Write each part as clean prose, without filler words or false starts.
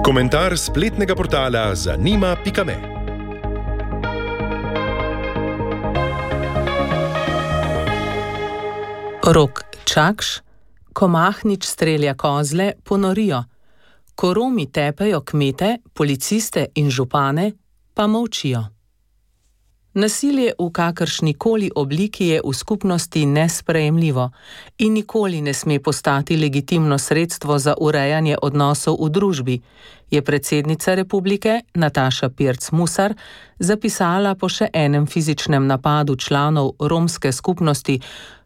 Komentar spletnega portala zanima.me. Rok Čakš, ko Mahnič strelja kozle, ponorijo. Ko Romi tepejo kmete, policiste in župane, pa molčijo. Nasilje v kakršnikoli obliki je v skupnosti nesprejemljivo in nikoli ne sme postati legitimno sredstvo za urejanje odnosov v družbi, je predsednica republike Nataša Pirc Musar zapisala po še enem fizičnem napadu članov romske skupnosti.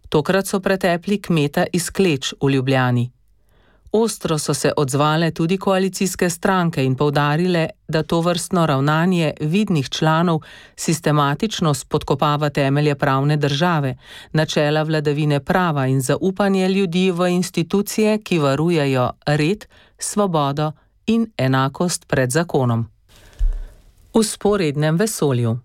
Tokrat so pretepli kmeta iz Kleč v Ljubljani. Ostro so se odzvale tudi koalicijske stranke in poudarile, da tovrstno ravnanje vidnih članov sistematično spodkopava temelje pravne države, načela vladavine prava in zaupanje ljudi v institucije, ki varujejo red, svobodo in enakost pred zakonom. V sporednem vesolju.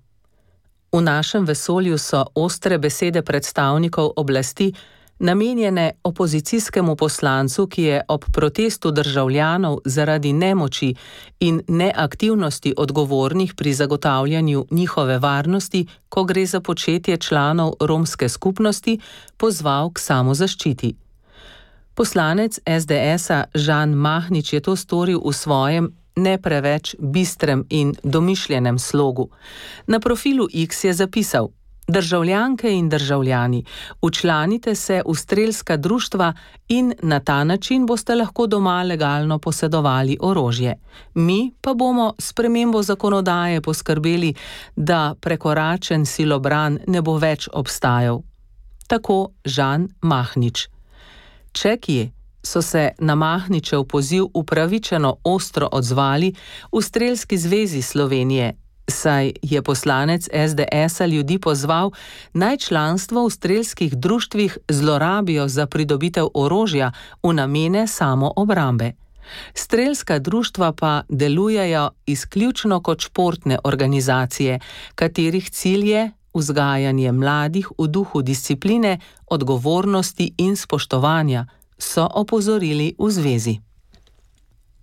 V našem vesolju so ostre besede predstavnikov oblasti namenjene opozicijskemu poslancu, ki je ob protestu državljanov zaradi nemoči in neaktivnosti odgovornih pri zagotavljanju njihove varnosti, ko gre za početje članov romske skupnosti, pozval k samozaščiti. Poslanec SDS-a Žan Mahnič je to storil v svojem ne preveč bistrem in domišljenem slogu. Na profilu X je zapisal: Državljanke in državljani, včlanite se v strelska društva in na ta način boste lahko doma legalno posedovali orožje. Mi pa bomo s spremembo zakonodaje poskrbeli, da prekoračen silobran ne bo več obstajal. Tako Žan Mahnič. Čekije so se na Mahničev poziv upravičeno ostro odzvali v Strelski zvezi Slovenije, saj je poslanec SDS-a ljudi pozval, naj članstvo v strelskih društvih zlorabijo za pridobitev orožja v namene samoobrambe. Strelska društva pa delujejo izključno kot športne organizacije, katerih cilj je vzgajanje mladih v duhu discipline, odgovornosti in spoštovanja, so opozorili v zvezi.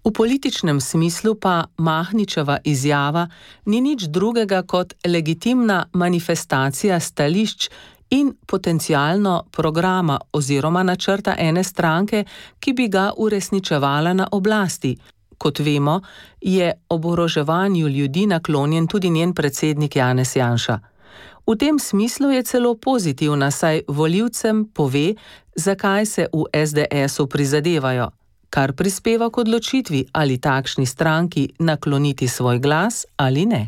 V političnem smislu pa Mahničeva izjava ni nič drugega kot legitimna manifestacija stališč in potencialno programa oziroma načrta ene stranke, ki bi ga uresničevala na oblasti. Kot vemo, je oboroževanju ljudi naklonjen tudi njen predsednik Janez Janša. V tem smislu je celo pozitivna, saj volivcem pove, zakaj se v SDS-u prizadevajo, kar prispeva k odločitvi, ali takšni stranki nakloniti svoj glas ali ne.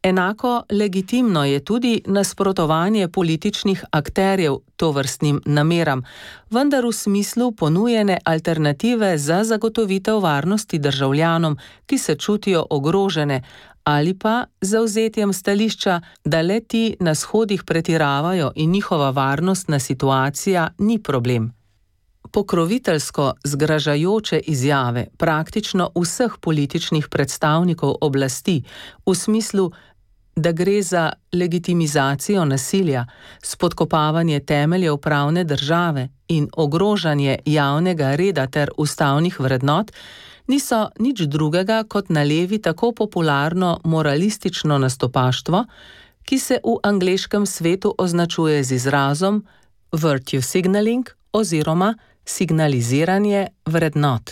Enako legitimno je tudi nasprotovanje političnih akterjev tovrstnim nameram, vendar v smislu ponujene alternative za zagotovitev varnosti državljanom, ki se čutijo ogrožene, ali pa zavzetjem stališča, da le ti na shodih pretiravajo in njihova varnostna situacija ni problem. Pokroviteljsko zgražajoče izjave praktično vseh političnih predstavnikov oblasti v smislu, da gre za legitimizacijo nasilja, spodkopavanje temeljev pravne države in ogrožanje javnega reda ter ustavnih vrednot, niso nič drugega kot na levi tako popularno moralistično nastopaštvo, ki se v angleškem svetu označuje z izrazom virtue signaling oziroma signaliziranje vrednot.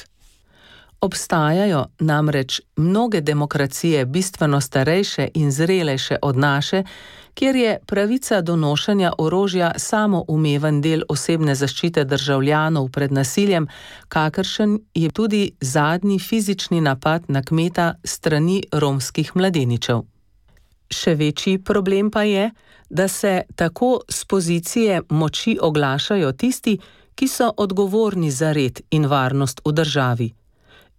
Obstajajo namreč mnoge demokracije bistveno starejše in zrelejše od naše, kjer je pravica do nošenja orožja samoumeven del osebne zaščite državljanov pred nasiljem, kakršen je tudi zadnji fizični napad na kmeta strani romskih mladeničev. Še večji problem pa je, da se tako z pozicije moči oglašajo tisti, ki so odgovorni za red in varnost v državi.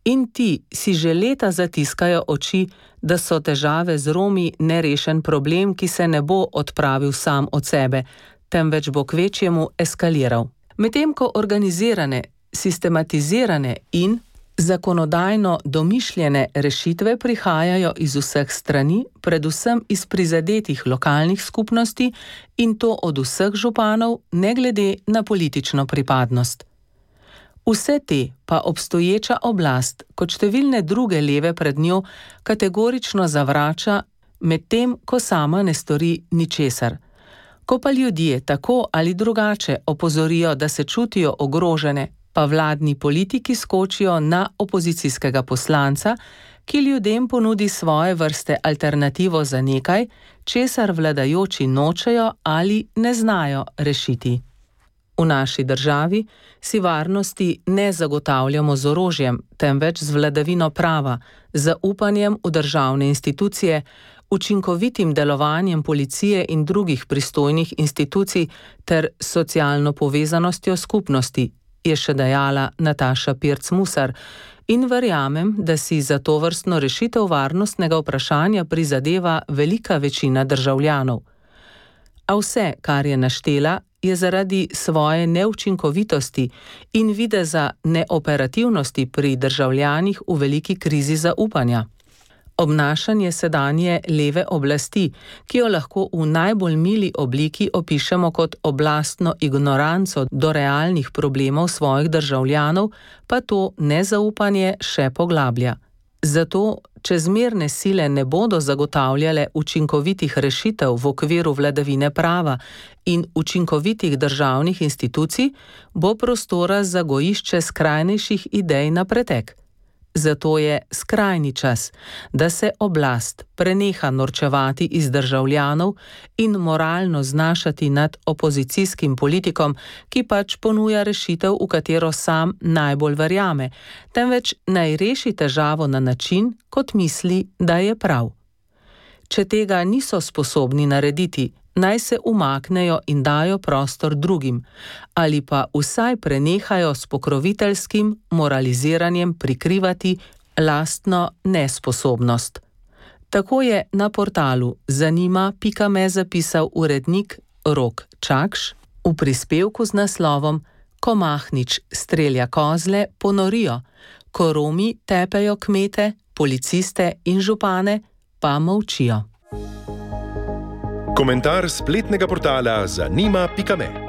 In ti si že leta zatiskajo oči, da so težave z Romi nerešen problem, ki se ne bo odpravil sam od sebe, temveč bo kvečjemu eskaliral. Medtem ko organizirane, sistematizirane in zakonodajno domišljene rešitve prihajajo iz vseh strani, predvsem iz prizadetih lokalnih skupnosti, in to od vseh županov, ne glede na politično pripadnost. Vse te pa obstoječa oblast, kot številne druge leve pred njo, kategorično zavrača, medtem ko sama ne stori ničesar. Ko pa ljudje tako ali drugače opozorijo, da se čutijo ogrožene, pa vladni politiki skočijo na opozicijskega poslanca, ki ljudem ponudi svoje vrste alternativo za nekaj, česar vladajoči nočejo ali ne znajo rešiti. V naši državi si varnosti ne zagotavljamo z orožjem, temveč z vladavino prava, zaupanjem v državne institucije, učinkovitim delovanjem policije in drugih pristojnih institucij ter socialno povezanostjo skupnosti, je še dejala Nataša Pirc Musar, in verjamem, da si za tovrstno rešitev varnostnega vprašanja prizadeva velika večina državljanov. A vse, kar je naštela, je zaradi svoje neučinkovitosti in videza neoperativnosti pri državljanih v veliki krizi zaupanja. Obnašanje sedanje leve oblasti, ki jo lahko v najbolj mili obliki opišemo kot oblastno ignoranco do realnih problemov svojih državljanov, pa to nezaupanje še poglablja. Zato čezmerne sile ne bodo zagotavljale učinkovitih rešitev v okviru vladavine prava in učinkovitih državnih institucij, bo prostora za gojišče skrajnejših idej na pretek. Zato je skrajni čas, da se oblast preneha norčevati iz državljanov in moralno znašati nad opozicijskim politikom, ki pač ponuja rešitev, v katero sam najbolj verjame, temveč naj reši težavo na način, kot misli, da je prav. Če tega niso sposobni narediti, naj se umaknejo in dajo prostor drugim, ali pa vsaj prenehajo s pokroviteljskim moraliziranjem prikrivati lastno nesposobnost. Tako je na portalu zanima.me zapisal urednik Rok Čakš v prispevku z naslovom Ko Mahnič strelja kozle, ponorijo, ko Romi tepejo kmete, policiste in župane, pa molčijo. Komentar spletnega portala zanima.me